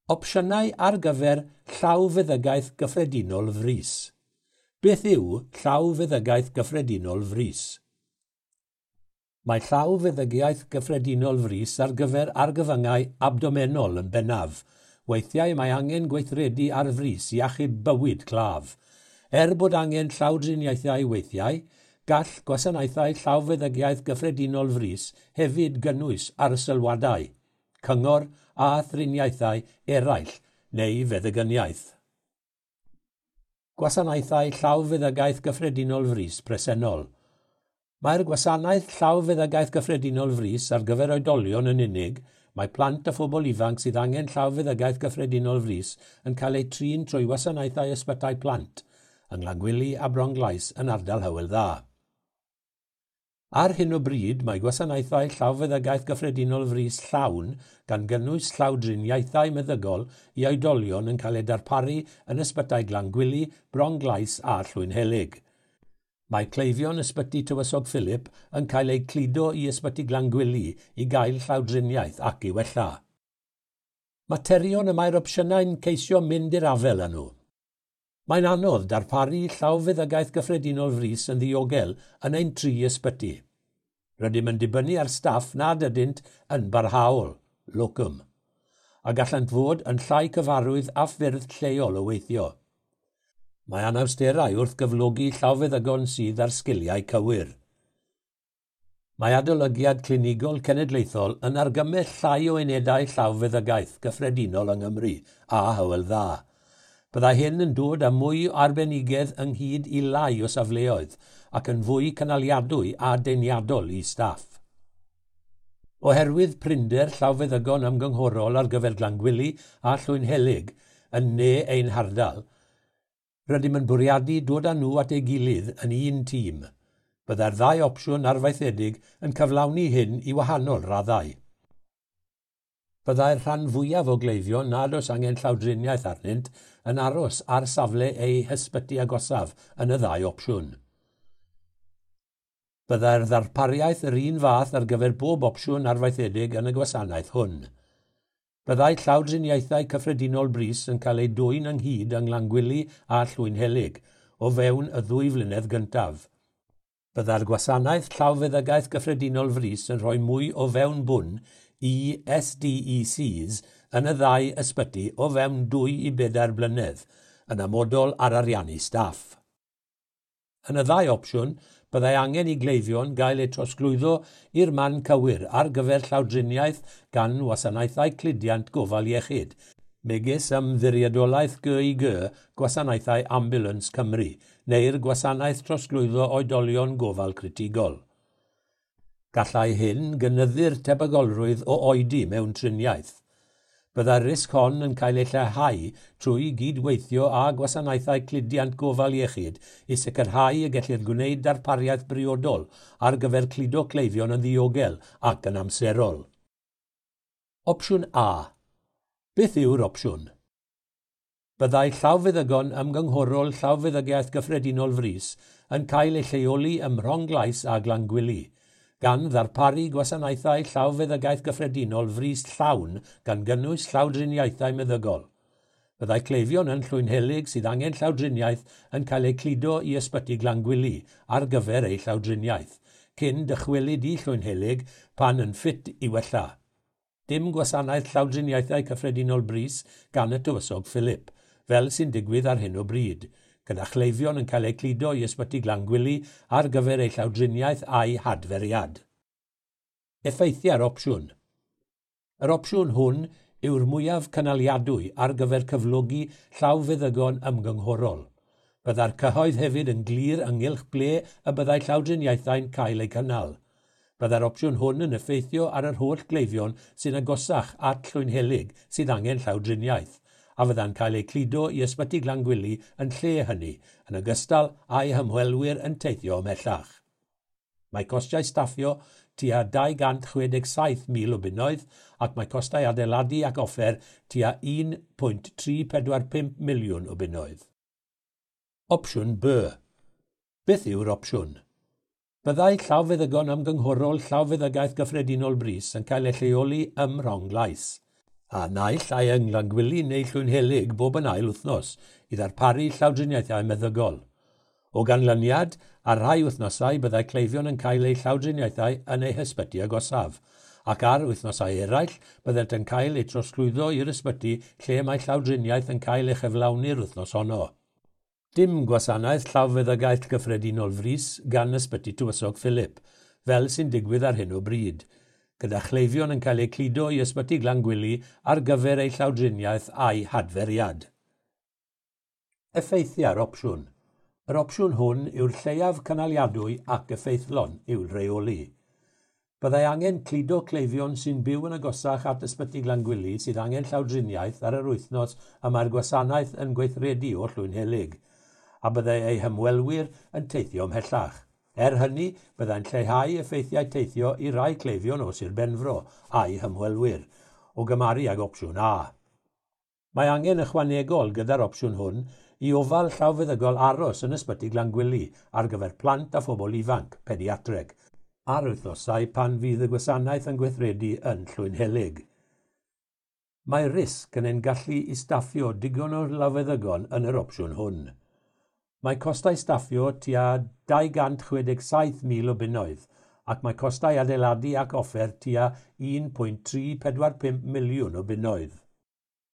Opsiynau ar gyfer llawfeddygaeth gyffredinol frys. Beth yw llawfeddygaeth gyffredinol frys? Mae llawfeddygaeth gyffredinol frys ar gyfer argyfyngau abdomenol yn bennaf. Weithiau mae angen gweithredu ar frys i achub bywyd claf. Er bod angen llawdriniaethau weithiau, gall gwasanaethau llawfeddygaeth gyffredinol frys hefyd gynnwys arsylwadau, cyngor a thriniaethau eraill neu feddygyniaeth. Gwasanaethau llawfeddygaeth gyffredinol frys presennol. Mae'r gwasanaeth llawfeddygaeth gyffredinol frys ar gyfer oedolion yn unig. Mae plant a phobl ifanc sydd angen llawfeddygaeth gyffredinol frys yn cael eu trin trwy wasanaethau ysbytai plant yng Nglangwili a Bronglais yn ardal Hywel Dda. Ar hyn o bryd, mae gwasanaethau llawfeddygaeth gyffredinol frys llawn gan gynnwys llawdriniaethau meddygol i oedolion yn cael eu darparu yn ysbytai Glangwili, Bronglais a Llwynhelyg. Mae cleifion ysbyty Tywysog Philip yn cael eu cludo i ysbyty Glangwili i gael llawdriniaeth ac i wella. Materion y mae'r opsiynau'n ceisio mynd i'r afael â nhw. Mae'n anodd darparu llawfeddygaeth gyffredinol frys yn ddiogel yn ein tri ysbyty. Rydym yn dibynnu ar staff nad ydynt yn barhaol, locum, a gallant fod yn llai cyfarwydd â ffyrdd lleol o weithio. Mae anawsterau wrth gyflogi llawfeddygon sydd ar sgiliau cywir. Mae adolygiad clinigol cenedlaethol yn argymell llai o unedau llawfeddygaeth gyffredinol yng Nghymru a Hywel Dda. Byddai hyn yn dod â mwy o arbenigedd ynghyd i lai o safleoedd ac yn fwy cynaliadwy a deniadol i staff. Oherwydd prinder llawfeddygon ymgynghorol ar gyfer Glangwili a Llwynhelyg yn ne ein hardal, rydym yn bwriadu dod â nhw at ei gilydd yn un tîm. Byddai'r ddau opsiwn arfaethedig yn cyflawni hyn i wahanol raddau. Byddai'r rhan fwyaf o gleifion nad oes angen llawdriniaeth arnynt yn aros ar safle eu hysbyty agosaf yn y ddau opsiwn. Byddai'r ddarpariaeth yr un fath ar gyfer bob opsiwn arfaethedig yn y gwasanaeth hwn. Byddai llawdriniaethau cyffredinol brys yn cael eu dwyn ynghyd yng Nglangwili a Llwynhelyg o fewn y 2 flynedd gyntaf. Byddai'r gwasanaeth llawfeddygaeth gyffredinol frys yn rhoi mwy o fewnbwn i SDECs yn y ddau ysbyty o fewn 2 i 4 blynedd, yn amodol ar ariannu staff. Yn y ddau opsiwn, byddai angen i gleifion gael eu trosglwyddo i'r man cywir ar gyfer llawdriniaeth gan wasanaethau cludiant gofal iechyd, megis Ymddiriedolaeth GIG Gwasanaethau Ambulance Cymru neu'r Gwasanaeth Trosglwyddo Oedolion Gofal Critigol. Gallai hyn gynyddu'r tebygolrwydd o oedi mewn triniaeth. Byddai'r risg hon yn cael ei lleihau trwy gydweithio â gwasanaethau cludiant gofal iechyd i sicrhau y gellir gwneud darpariaeth briodol ar gyfer cludo cleifion yn ddiogel ac yn amserol. Opsiwn A. Beth yw'r opsiwn? Byddai llawfeddygon ymgynghorol llawfeddygaeth gyffredinol frys yn cael eu lleoli ym Mronglais a Glangwili, gan ddarparu gwasanaethau llawfeddygaeth gyffredinol frys llawn gan gynnwys llawdriniaethau meddygol. Byddai cleifion yn Llwynhelyg sydd angen llawdriniaeth yn cael eu cludo i ysbyty Glangwili ar gyfer eu llawdriniaeth, cyn dychwelyd i Llwynhelyg pan yn ffit i wella. Dim gwasanaeth llawdriniaethau cyffredinol brys gan y Tywysog Philip, fel sy'n digwydd ar hyn o bryd, gyda chleifion yn cael eu cludo i ysbyty Glangwili ar gyfer eu llawdriniaeth a'i hadferiad. Effeithiau'r opsiwn. Yr opsiwn hwn yw'r mwyaf cynaliadwy ar gyfer cyflogi llawfeddygon ymgynghorol. Byddai'r cyhoedd hefyd yn glir ynghylch ble y byddai llawdriniaethau'n cael eu cynnal. Byddai'r opsiwn hwn yn effeithio ar yr holl gleifion sy'n agosach at Llwynhelyg sydd angen llawdriniaeth, a fydda'n cael eu cludo i ysbyty Glangwili yn lle hynny, yn ogystal â'u hymwelwyr yn teithio ymhellach. Mae costiau staffio tua 267,000 o bunnoedd ac mae costau adeiladu ac offer tua 1.345 miliwn o bunnoedd. Opsiwn B. Beth yw'r opsiwn? Byddai llawfeddygon ymgynghorol llawfeddygaeth gyffredinol brys yn cael eu lleoli ym Mronglais. A naill ai yng Nglangwili neu Llwynhelyg bob yn ail wythnos i ddarparu llawdriniaethau meddygol. O ganlyniad, ar rhai wythnosau byddai cleifion yn cael eu llawdriniaethau yn eu hysbyty agosaf, ac ar wythnosau eraill byddent yn cael eu trosglwyddo i'r ysbyty lle mae llawdriniaeth yn cael ei chyflawni'r wythnos honno. Dim gwasanaeth llawfeddygaeth gyffredinol frys gan Ysbyty Tywysog Philip, fel sy'n digwydd ar hyn o bryd, gyda chleifion yn cael eu cludo i Ysbyty Glangwili ar gyfer eu llawdriniaeth a'i hadferiad. Effeithiau'r opsiwn. Yr opsiwn hwn yw'r lleiaf cynaliadwy ac effeithlon i'w rheoli. Byddai angen cludo cleifion sy'n byw yn agosach at Ysbyty Glangwili sydd angen llawdriniaeth ar yr wythnos y mae'r gwasanaeth yn gweithredu o Llwynhelyg, a byddai eu hymwelwyr yn teithio ymhellach. Er hynny, byddai'n lleihau effeithiau teithio i rai cleifion o Sir Benfro a'u hymwelwyr, o gymharu ag opsiwn A. Mae angen ychwanegol gyda'r opsiwn hwn i ofal llawfeddygol aros yn Ysbyty Glangwili ar gyfer plant a phobl ifanc, pediatreg, ar wythnosau pan fydd y gwasanaeth yn gweithredu yn Llwynhelyg. Mae risg yn ein gallu i staffio digon o lawfeddygon yn yr opsiwn hwn. Mae costau staffio tua 267,000 o bunnoedd ac mae costau adeiladu ac offer tua 1.345 miliwn o bunnoedd.